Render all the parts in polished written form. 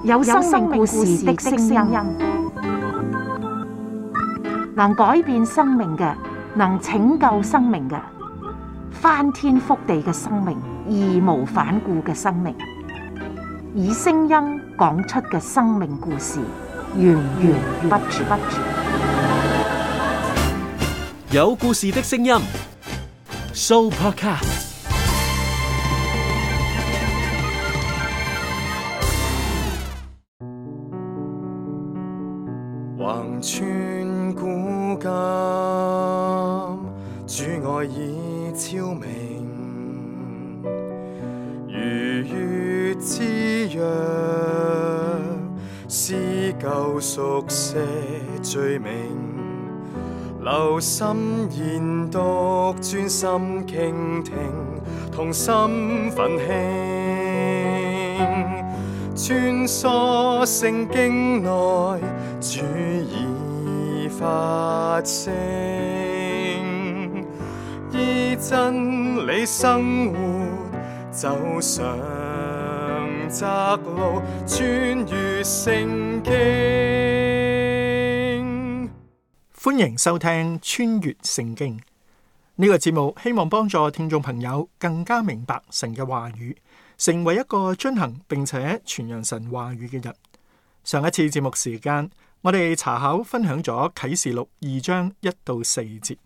有生命故事的聲音，能改變生命嘅，能拯救生命嘅，翻天覆地嘅生命，義無反顧嘅生命，以聲音講出嘅生命故事，源源不絕。有故事的聲音 ，Sooopodcast。橫穿古今，主愛已超明，如月之約，撕舊熟寫罪名，留心研讀，專心傾聽，同心奮興，穿梭聖經內，主已發聲，依真理生活，走上窄路，穿越聖經。歡迎收聽穿越聖經呢個節目，希望幫助聽眾朋友更加明白神嘅話語，成為一個遵行並且傳揚神話語嘅人。上一次節目時間，我哋查考分享咗啟示錄2章1到4節，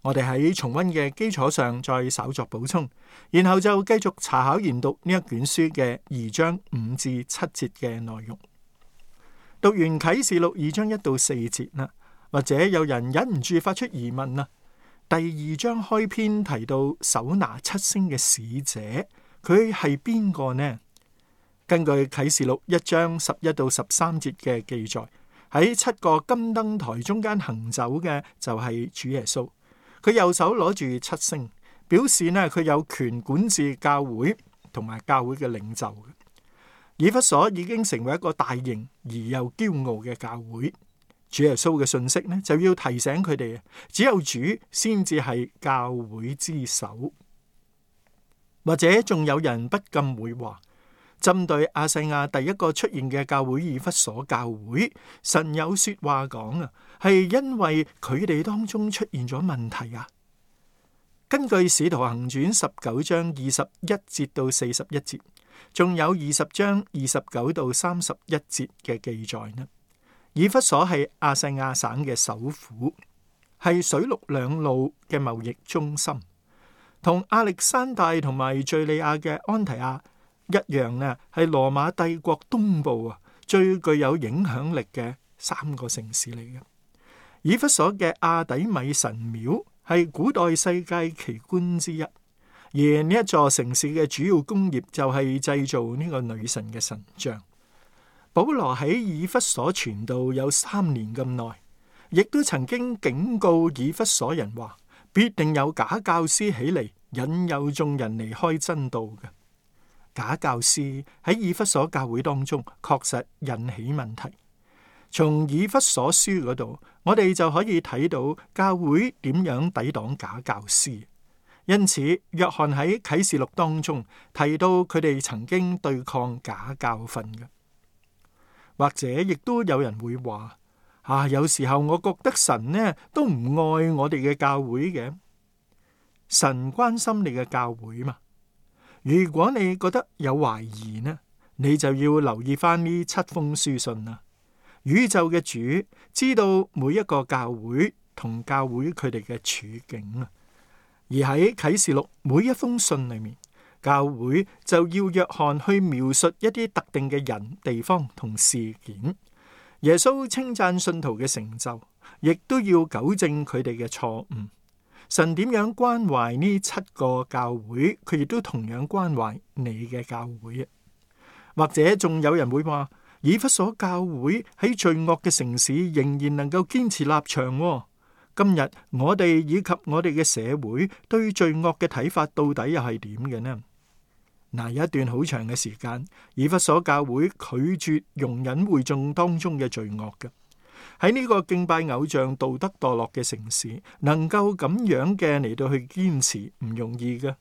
我哋喺重溫嘅基礎上再稍作補充，然後就繼續查考研讀呢一卷書嘅2章5至7節嘅內容。讀完啟示錄2章1到4節啦，或者有人忍唔住發出疑問啦。第2章開篇提到手拿7星嘅使者，佢係邊個呢？根據啟示錄1章11到13節嘅記載，喺7個金燈台中間行走嘅就係主耶穌，佢右手攞住7星，表示呢佢有權管治教會同埋教會嘅領袖。以弗所已經成為一個大型而又驕傲嘅教會，主耶穌嘅信息呢就要提醒佢哋，只有主先至係教會之首。或者仲有人不禁會話，針對亞細亞第一個出現嘅教會以弗所教會，神有說話講啊，係因為佢哋當中出現咗問題啊。根據使徒行傳19章21節到41節，仲有20章29到31節嘅記載呢。以弗所係亞細亞省嘅首府，係水陸兩路嘅貿易中心，同亞歷山大同埋敘利亞嘅安提亞一樣呢，係羅馬帝國東部最具有影響力嘅3個城市嚟嘅。以弗所嘅亞底米神廟係古代世界奇觀之一，而呢一座城市嘅主要工業就係製造呢個女神嘅神像。保羅喺以弗所傳道有3年咁耐，亦都曾經警告以弗所人話，必定有假教師起嚟，引誘眾人離開真道嘅。假教師喺以弗所教會當中確實引起問題。從以弗所書嗰度，我哋就可以睇到教會點樣抵擋假教師。因此，約翰喺啟示錄當中提到佢哋曾經對抗假教訓嘅。或者亦都有人會話，有時候我覺得神呢都唔愛我哋嘅教會嘅。神關心你嘅教會嘛？如果你覺得有懷疑呢，你就要留意翻呢7封書信啦。宇宙嘅主知道每一個教會同教會佢哋嘅處境啊。而喺啟示錄每一封信裏面，教會就要約翰去描述一啲特定嘅人、地方同事件。耶穌稱讚信徒嘅成就，亦都要糾正佢哋嘅錯誤。神點樣關懷呢7個教會，佢亦都同樣關懷你嘅教會啊。或者仲有人會話，以弗所教會喺罪惡嘅城市仍然能夠堅持立場。今日我哋以及我哋嘅社會對罪惡嘅睇法到底又係點嘅呢？有一段好長嘅時間，以弗所教會拒絕容忍會眾當中嘅罪惡嘅。喺呢個敬拜偶像、道德墮落嘅城市，能夠咁樣嘅嚟到去堅持唔容易嘅。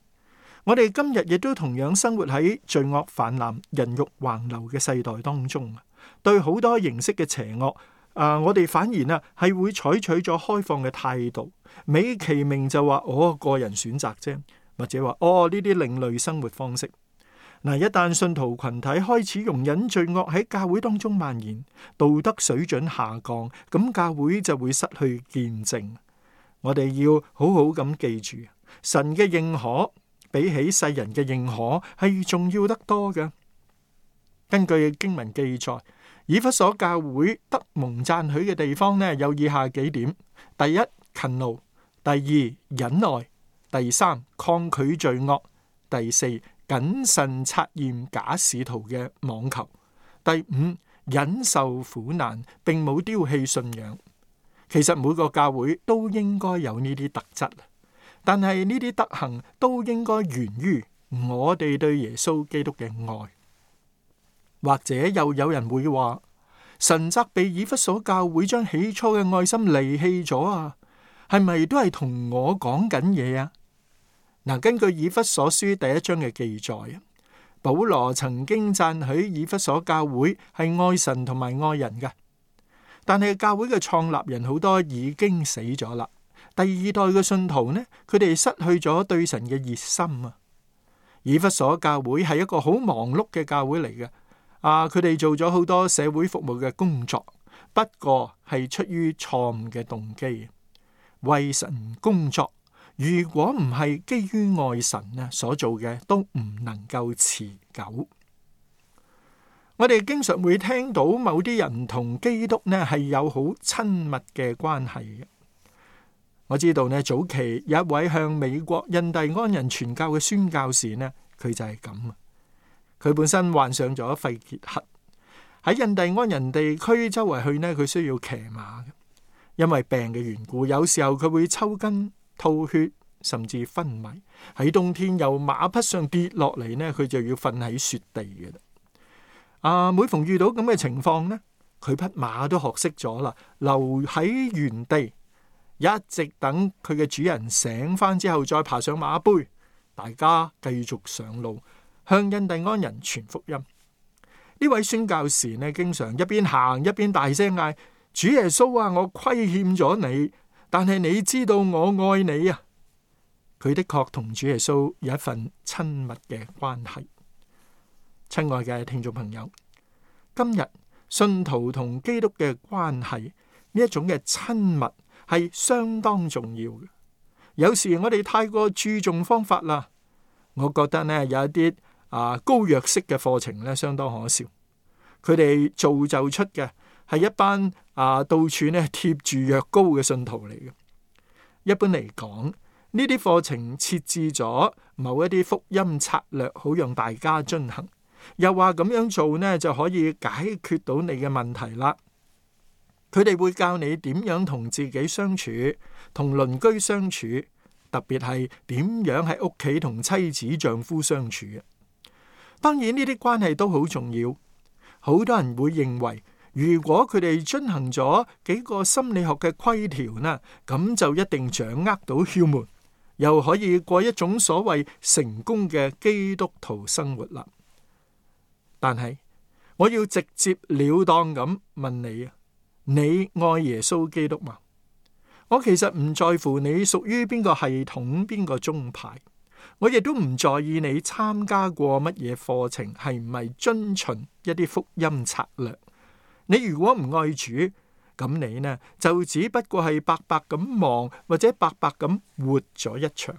我哋今日亦都同樣生活喺罪惡泛濫、人慾橫流嘅世代當中，對好多形式嘅邪惡，我哋反而係會採取咗開放嘅態度，美其名就話個人選擇啫，或者話呢啲另類生活方式。一旦信徒群體開始容忍罪惡喺教會當中蔓延，道德水準下降，咁教會就會失去見證。我哋要好好咁記住，神嘅認可比起世人嘅認可係重要得多嘅。根據經文記載，以弗所教會得蒙讚許嘅地方有以下幾點：第一，勤勞；第二，忍耐；第三，抗拒罪惡；第四，謹慎察驗假使徒嘅妄求；第五，忍受苦難，並冇丟棄信仰。其實每個教會都應該有呢啲特質，但係呢啲德行都應該源於我哋對耶穌基督嘅愛。或者又有人會話，神責備以弗所教會將起初嘅愛心離棄咗啊，係咪都係同我講緊嘢啊？根據以弗所書第一章嘅記載，保羅曾經讚許以弗所教會係愛神同埋愛人嘅，但係教會嘅創立人好多已經死咗啦。第二代嘅信徒呢，佢哋失去咗對神嘅熱心啊。以弗所教會係一個好忙碌嘅教會嚟嘅，佢哋做咗好多社會服務嘅工作，不過係出於錯誤嘅動機，為神工作。如果唔係基於愛神所做嘅，都唔能夠持久。我哋經常會聽到某啲人同基督係有好親密嘅關係嘅。我知道早期有一位向美國印第安人傳教嘅宣教士佢就係咁啊。佢本身患上咗肺結核，喺印第安人地區周圍去佢需要騎馬嘅，因為病嘅緣故，有時候佢會抽筋、吐血，甚至昏迷。喺冬天由馬匹上跌落嚟佢就要瞓喺雪地嘅啦。每逢遇到咁嘅情況佢匹馬都學識咗啦，留喺原地，一直等佢嘅主人醒翻之後再爬上馬背，大家繼續上路向印第安人傳福音。呢位宣教士經常一邊行一邊大聲嗌：主耶穌啊，我虧欠咗你，但係你知道我愛你啊！佢的確同主耶穌有一份親密嘅關係。親愛嘅聽眾朋友，今日信徒同基督嘅關係呢一種嘅親密係相當重要嘅。有時我哋太過注重方法啦，我覺得有一啲膏藥式嘅課程相當可笑。佢哋造就出嘅係一班到處貼住藥膏嘅信徒嚟嘅。一般嚟講，呢啲課程設置咗某一啲福音策略，好讓大家遵行，又話咁樣做就可以解決到你嘅問題啦。佢哋會教你點樣同自己相處，同鄰居相處，特別係點樣喺屋企同妻子丈夫相處。當然呢啲關係都好重要。好多人會認為，如果佢哋遵行咗幾個心理學嘅規條咁就一定掌握到竅門，又可以過一種所謂成功嘅基督徒生活啦。但係我要直接了當咁問你啊，你愛耶穌基督嗎？我其實唔在乎你屬於邊個系統、邊個宗派，我亦都唔在意你參加過乜嘢課程，係唔係遵循一啲福音策略。你如果唔愛主，咁你就只不過係白白咁忙，或者白白咁活咗一場。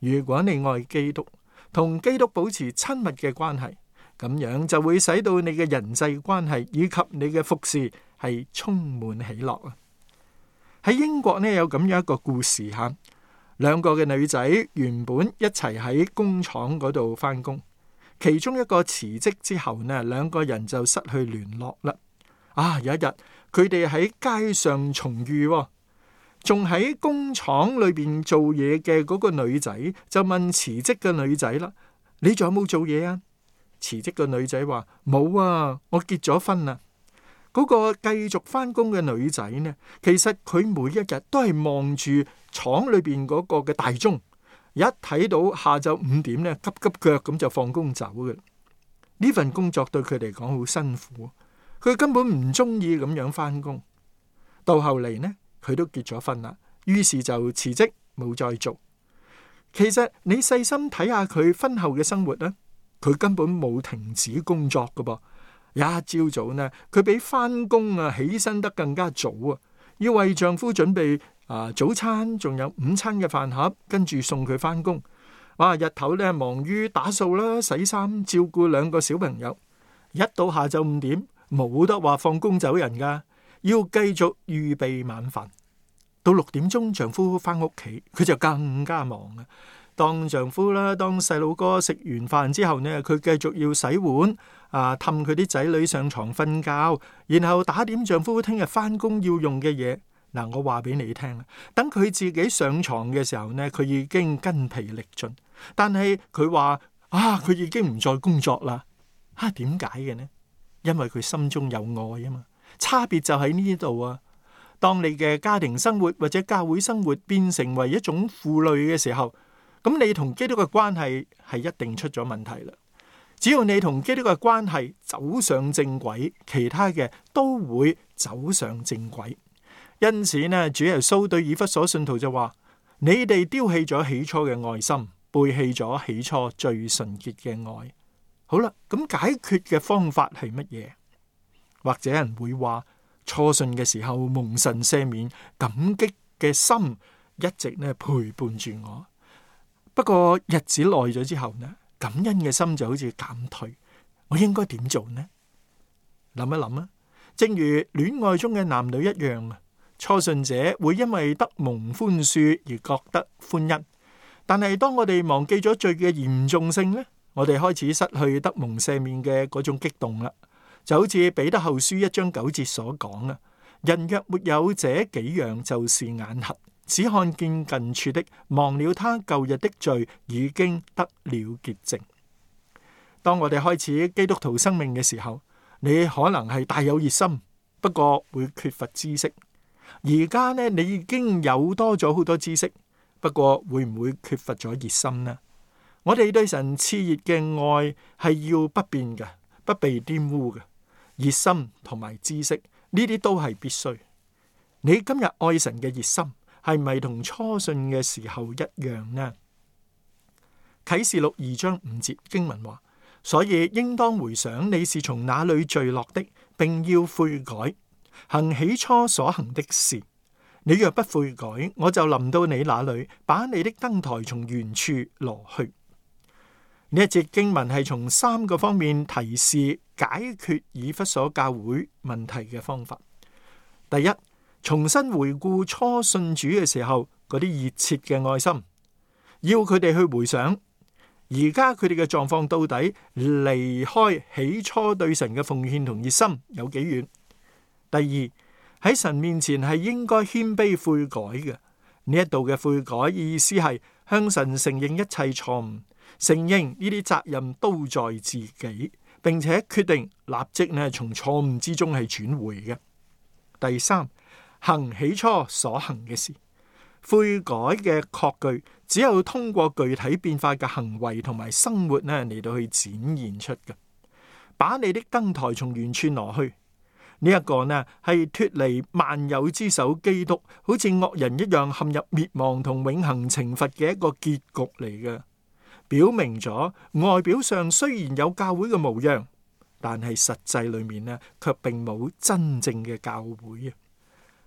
如果你愛基督，同基督保持親密嘅關係，咁樣就會使到你嘅人際關係以及你嘅服侍係充滿喜樂啊！喺英國有咁樣一個故事吓，兩個嘅女仔原本一齊喺工廠嗰度返工，其中一個辭職之後兩個人就失去聯絡啦。有一日佢哋喺街上重遇，仲喺工廠裏邊做嘢嘅嗰個女仔就問辭職嘅女仔啦：你仲有冇做嘢啊？辭職嘅女仔話：冇啊，我結咗婚啦。嗰個繼續返工嘅女仔其實佢每一日都係望住廠裏邊嗰個嘅大鐘，一睇到下晝5點咧，急急腳咁就放工走嘅。呢份工作對佢嚟講好辛苦，佢根本唔中意咁樣翻工。到後嚟呢，佢都結咗婚啦，於是就辭職冇再做。其實你細心睇下佢婚後嘅生活呢，佢根本冇停止工作噶噃。一朝早呢，佢比翻工起身得更加早啊，要為丈夫準備早餐，仲有午餐嘅飯盒，跟住送佢翻工。哇！日頭咧忙於打掃啦、洗衫、照顧2個小朋友，一到下晝5點，冇得話放工走人噶，要繼續預備晚飯。到6點鐘，丈夫翻屋企，佢就更加忙啊。當丈夫啦，當細佬哥食完飯之後呢，佢繼續要洗碗氹佢啲仔女上床瞓覺，然後打點丈夫聽日翻工要用嘅嘢。我話俾你聽啦，等佢自己上床嘅時候呢，佢已經筋疲力盡。但係佢話佢已經唔再工作啦。點解嘅呢？因為佢心中有愛啊嘛。差別就喺呢度啊。當你嘅家庭生活或者教會生活變成為一種負累嘅時候，咁你同基督嘅關係係一定出咗問題啦。只要你同基督嘅關係走上正軌，其他嘅都會走上正軌。因此呢，主耶穌對以弗所信徒就話：你哋丟棄咗起初嘅愛心，背棄咗起初最純潔嘅愛。好啦，咁解決嘅方法係乜嘢？或者人會話，初信嘅時候蒙神赦免，感激嘅心一直呢陪伴住我。不過日子耐咗之後呢，感恩嘅心就好似減退。我應該點做呢？諗一諗啊，正如戀愛中嘅男女一樣啊。初信者會因為得蒙寬恕而覺得歡欣，但係當我哋忘記咗罪嘅嚴重性呢，我哋開始失去得蒙赦免嘅嗰種激動啦。就好似彼得後書1章9節所講啊，人若沒有這幾樣，就是眼瞎，只看見近處的，忘了他舊日的罪已經得了潔淨。當我哋開始基督徒生命嘅時候，你可能係大有熱心，不過會缺乏知識。而家呢，你已經有多咗好多知識，不過會唔會缺乏咗熱心呢？我哋對神熾熱嘅愛係要不變嘅，不被玷污嘅。熱心同埋知識呢啲都係必須。你今日愛神嘅熱心係咪同初信嘅時候一樣呢？啟示錄2章5節經文話：所以應當回想你是從哪裏墜落的，並要悔改，行起初所行的事。你若不悔改，我就臨到你那裏，把你的燈台從原處挪去。呢一節經文係從3個方面提示解決以弗所教會問題嘅方法。第一，重新回顧初信主嘅時候嗰啲熱切嘅愛心，要佢哋去回想而家佢哋嘅狀況到底離開起初對神嘅奉獻同熱心有幾遠。第二，喺神面前係應該謙卑悔改嘅。呢一度嘅悔改意思係向神承認一切錯誤，承認呢啲責任都在自己，並且決定立即從錯誤之中係轉回嘅。第三，行起初所行嘅事。悔改嘅確據只有通過具體變化嘅行為同埋生活嚟到去展現出嘅。把你的燈台從原處挪去。呢一個係脫離萬有之首基督，好似惡人一樣陷入滅亡同永恆懲罰嘅一個結局嚟嘅，表明咗外表上雖然有教會嘅模樣，但係實際裏面卻並冇真正嘅教會啊！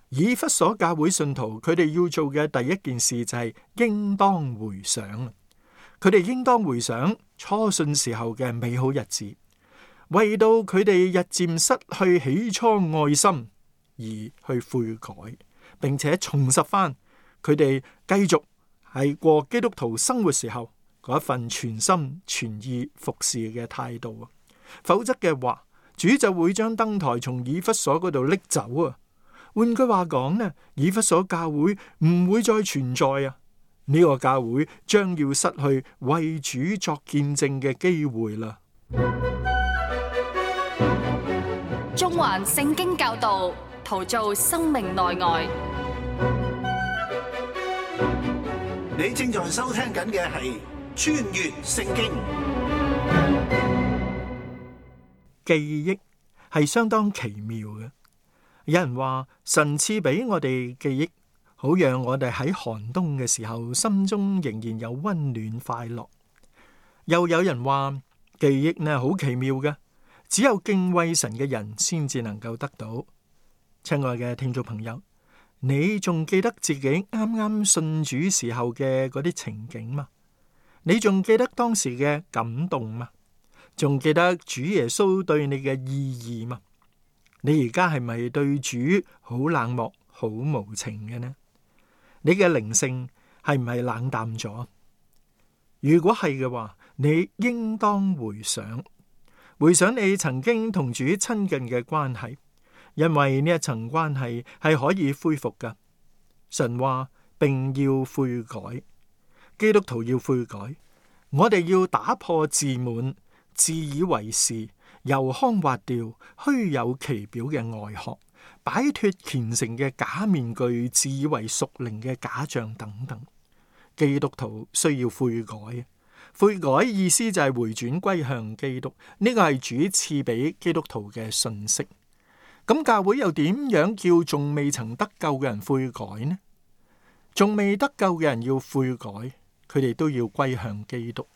以弗所教會信徒佢哋要做嘅第一件事就係應當回想，佢哋應當回想初信時候嘅美好日子。為到佢哋日漸失去起初愛心而去悔改，並且重拾翻佢哋繼續係過基督徒生活時候嗰一份全心全意服侍嘅態度啊！否則嘅話，主就會將燈台從以弗所嗰度拎走啊！換句話講以弗所教會唔會再存在啊！呢個教會將要失去為主作見證嘅機會啦。中環聖經教導，陶造生命內外。你正在收聽緊嘅係穿越聖經。記憶係相當奇妙嘅。有人話神賜俾我哋記憶，好讓我哋喺寒冬嘅時候心中仍然有溫暖快樂。又有人話記憶呢好奇妙嘅，只有敬畏神嘅人先至能夠得到。親愛嘅聽眾朋友，你仲記得自己啱啱信主時候嘅嗰啲情景嗎？你仲記得當時嘅感動嗎？仲記得主耶穌對你嘅意義嗎？你而家係咪對主好冷漠、好無情嘅呢？你嘅靈性係唔係冷淡咗？如果係嘅話，你應當回想你曾經同主親近嘅關係，因為呢一層關係係可以恢復㗎。神話並要悔改，基督徒要悔改，我哋要打破自滿、自以為是、油腔滑調、虛有其表嘅外殼，擺脫虔誠嘅假面具、自以為屬靈嘅假象等等。基督徒需要悔改，悔改意思就係回轉歸向基督，呢個係主賜俾基督徒嘅信息。咁教會又點樣叫仲未曾得救嘅人悔改呢？仲未得救嘅人要悔改，佢哋都要歸向基督。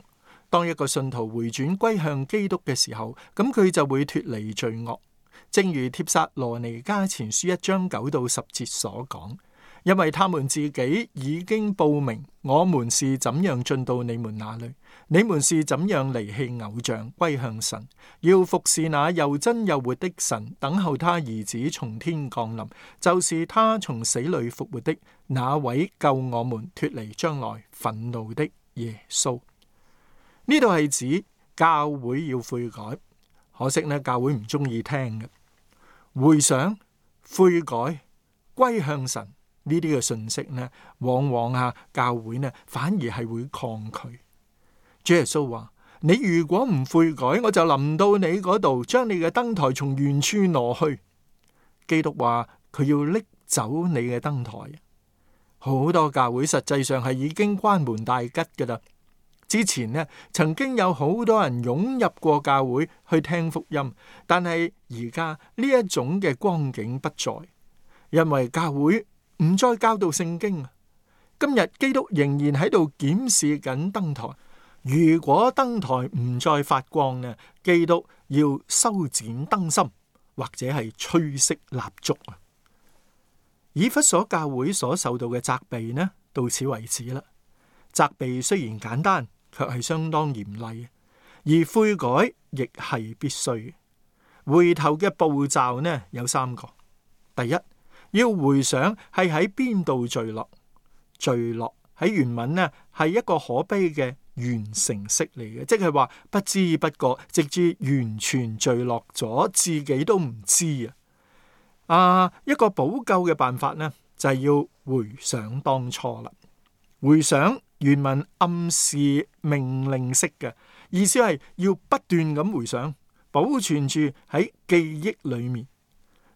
當一個信徒回轉歸向基督嘅時候，咁佢就會脫離罪惡。正如帖撒羅尼迦前書1章9到10節所講，因為他們自己已經報明，我們是怎樣進到你們那裏，你們是怎樣離棄偶像，歸向神，要服侍那又真又活的神，等候他兒子從天降臨，就是他從死裏復活的那位救我們脫離將來憤怒的耶穌。呢度係指教會要悔改，可惜呢教會唔中意聽嘅。回想、悔改、歸向神呢啲嘅信息呢，往往教會呢反而係會抗拒。主耶穌話：你如果唔悔改，我就臨到你嗰度，將你嘅燈台從原處挪去。基督話佢要拎走你嘅燈台。好多教會實際上係已經關門大吉噶啦。之前呢，曾經有好多人湧入過教會去聽福音，但係而家呢一種嘅光景不再，因為教會唔再教導聖經。今日基督仍然喺度檢視緊燈台，如果燈台唔再發光呢，基督要修剪燈芯，或者係吹熄蠟燭啊。以弗所教會所受到嘅責備呢，到此為止啦。責備雖然簡單，卻係相當嚴厲，而悔改亦係必須。回頭嘅步驟呢有3個。第一，要回想係喺邊度墜落。墜落喺原文呢係一個可悲嘅完成式嚟嘅，即係話不知不覺直至完全墜落咗，自己都唔知啊。一個補救嘅辦法呢就係要回想當初啦。回想原文暗示命令式嘅意思係要不斷咁回想，保存住喺記憶裏面。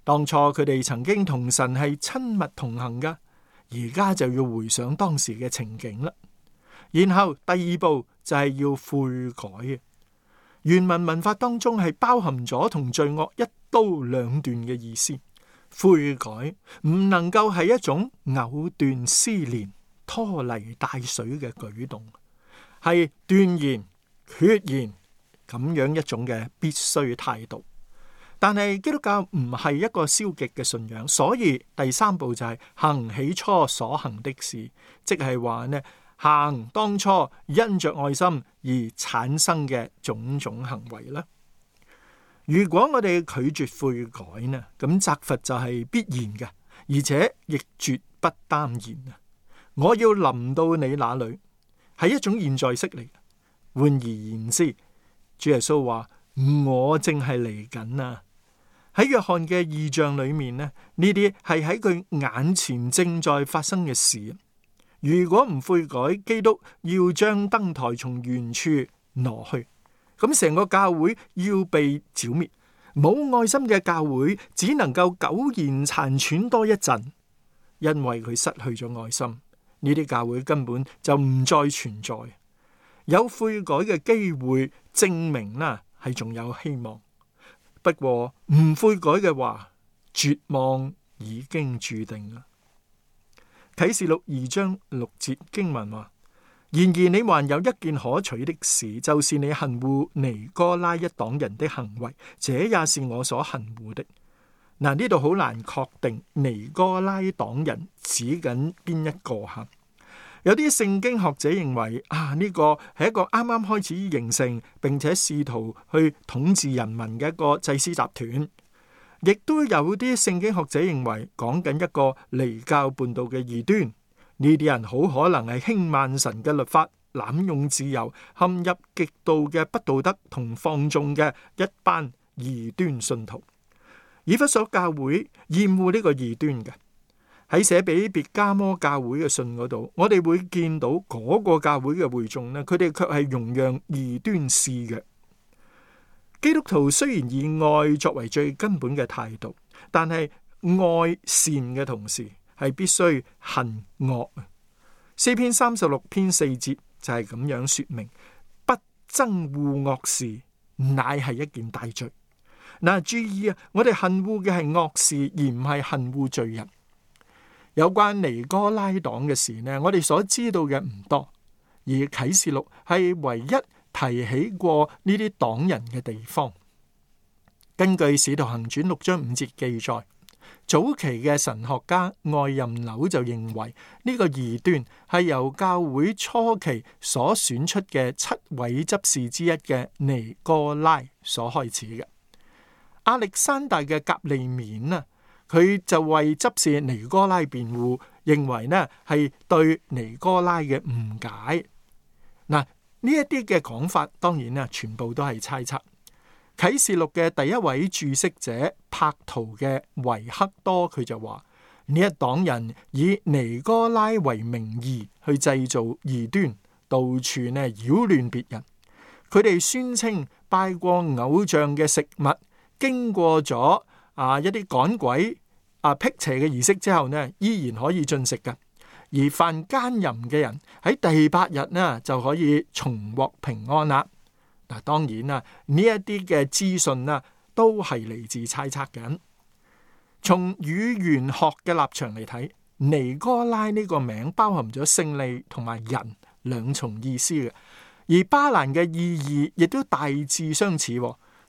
當初佢哋曾經同神係親密同行噶，而家就要回想當時嘅情景啦。然後第2步就係要悔改。原文文法當中係包含咗同罪惡一刀兩斷嘅意思。悔改唔能夠係一種藕斷絲連、拖泥帶水嘅舉動，係斷然決然咁樣一種嘅必須態度。但係基督教唔係一個消極嘅信仰，所以第3步就係行起初所行的事，即係話呢，行當初因着愛心而產生嘅種種行為啦。如果我哋拒絕悔改呢，咁責罰就係必然嘅，而且亦絕不耽延啊！我要臨到你那裏，係一種現在式嚟。換而言之，主耶穌話：我正係嚟緊啊！喺約翰嘅異象裏面呢，呢啲係喺佢眼前正在發生嘅事。如果唔悔改，基督要將燈台從原處挪去，咁成個教會要被剿滅。冇愛心嘅教會只能夠苟延殘喘多一陣，因為佢失去咗愛心，呢啲教會根本就唔再存在。有悔改嘅機會，證明啦係仲有希望。不過唔悔改嘅話，絕望已經注定啦。啟示錄2章6節經文話：然而你還有一件可取的事，就是你恨惡尼哥拉一黨人的行為，這也是我所恨惡的。嗱，呢度好難確定尼哥拉黨人指緊邊一個吓。有啲聖經學者認為呢個係一個啱啱開始形成並且試圖去統治人民嘅一個祭司集團，亦都有啲聖經學者認為講緊一個離教叛道嘅異端。呢啲人好可能係輕慢神嘅律法，濫用自由，陷入極度嘅不道德同放縱嘅一班異端信徒。以弗所教會厭惡呢個異端嘅。喺寫俾別迦摩教會嘅信嗰度，我哋會見到嗰個教會嘅會眾呢，佢哋卻係容讓異端肆虐。基督徒雖然以愛作為最根本嘅態度，但係愛善嘅同時係必須恨惡。詩篇36篇4節就係咁樣說明：不憎惡惡事，乃係一件大罪。嗱，注意啊，我哋恨惡嘅係惡事，而唔係恨惡罪人。有關尼哥拉黨嘅事呢，我哋所知道嘅唔多，而啟示錄係唯一提起過呢啲黨人嘅地方。根據使徒行傳6章5節記載，早期嘅神學家愛任紐就認為呢個異端係由教會初期所選出嘅7位執事之一嘅尼哥拉所開始嘅。亞歷山大嘅革利免啊，佢就為執事尼哥拉辯護，認為呢係對尼哥拉嘅誤解。嗱，呢一啲嘅講法，當然啊，全部都係猜測。啟示錄嘅第一位注釋者柏圖嘅維克多，佢就話呢一黨人以尼哥拉為名義去製造異端，到處呢擾亂別人。佢哋宣稱拜過偶像嘅食物，經過咗一啲趕鬼辟邪嘅儀式之後呢，依然可以進食嘅。而犯奸淫嘅人喺第8日呢就可以重獲平安啦。嗱，當然啦，呢一啲嘅資訊啦都係嚟自猜測嘅。從語言學嘅立場嚟睇，尼哥拉呢個名包含咗勝利同埋人兩重意思嘅，而巴蘭嘅意義亦都大致相似。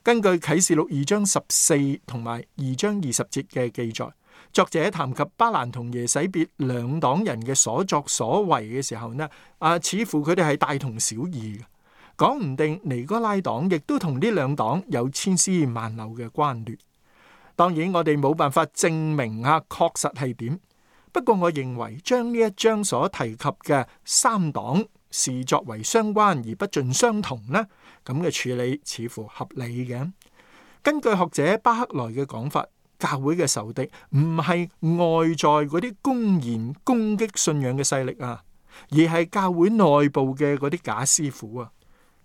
根據啟示錄2章14同埋2章20節嘅記載，作者談及巴蘭同耶洗別兩黨人嘅所作所為嘅時候呢，似乎佢哋係大同小異嘅。講唔定尼哥拉黨亦都同呢兩黨有千絲萬縷嘅關聯。當然我哋冇辦法證明確實係點，不過我認為將呢一章所提及嘅三黨視作為相關而不盡相同呢，咁嘅處理似乎合理嘅。根據學者巴克萊嘅講法，教會嘅仇敵唔係外在嗰啲公然攻擊信仰嘅勢力啊，而係教會內部嘅嗰啲假師傅啊。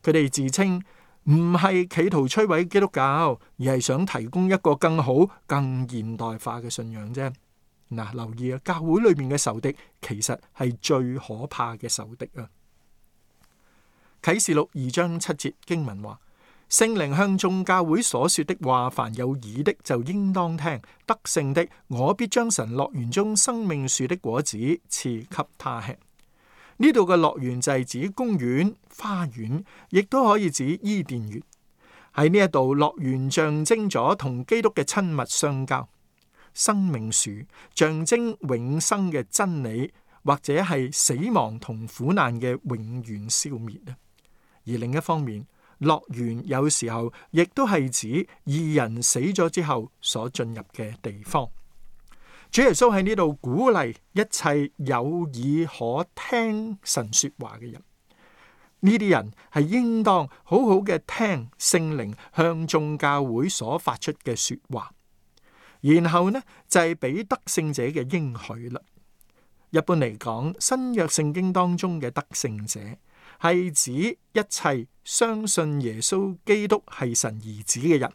佢哋自稱唔係企圖摧毀基督教，而係想提供一個更好、更現代化嘅信仰啫。嗱，留意啊，教會裏面嘅仇敵其實係最可怕嘅仇敵啊。啟示錄2章7節經文話：聖靈向眾教會所說的話，凡有耳的就應當聽。得勝的，我必將神樂園中生命樹的果子賜給他吃。呢度嘅樂園就係指公園、花園，亦都可以指伊甸園。喺呢一度，樂園象徵咗同基督嘅親密相交。生命樹象徵永生嘅真理，或者係死亡同苦難嘅永遠消滅啊。而另一方面，樂園有時候亦都係指義人死咗之後所進入嘅地方。主耶穌喺呢度鼓勵一切有耳可聽神說話嘅人，呢啲人係應當好好嘅聽聖靈向眾教會所發出嘅說話，然後呢就係俾得勝者嘅應許啦。一般嚟講，新約聖經當中嘅得勝者係指一切相信耶穌基督係神兒子嘅人。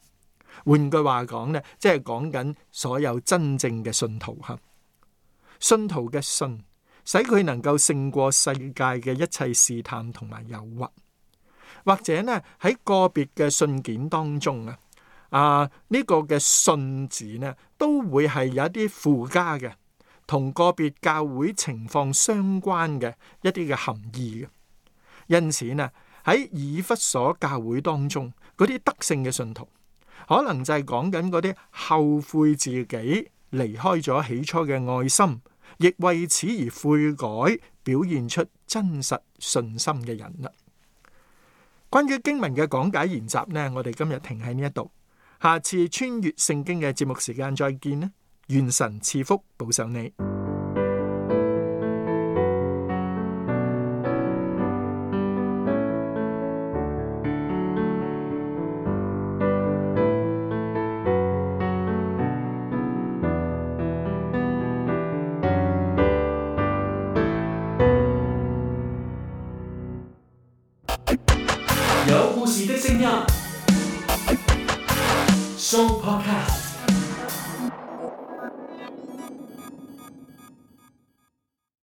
換句話講呢，即係講緊所有真正嘅信徒。信徒嘅信使佢能夠勝過世界嘅一切試探同埋誘惑。或者呢，喺個別嘅信件當中呢個嘅信字呢，都會係有一啲附加嘅，同個別教會情況相關嘅一啲嘅含義嘅。因此呢，喺以弗所教會當中，嗰啲得勝嘅信徒，可能就係講緊嗰啲後悔自己離開咗起初嘅愛心，亦為此而悔改，表現出真實信心嘅人啦。關於經文嘅講解研習呢，我哋今日停喺呢一度，下次穿越聖經嘅節目時間再見啦！願神賜福保守你。有故事的聲音，Show Podcast。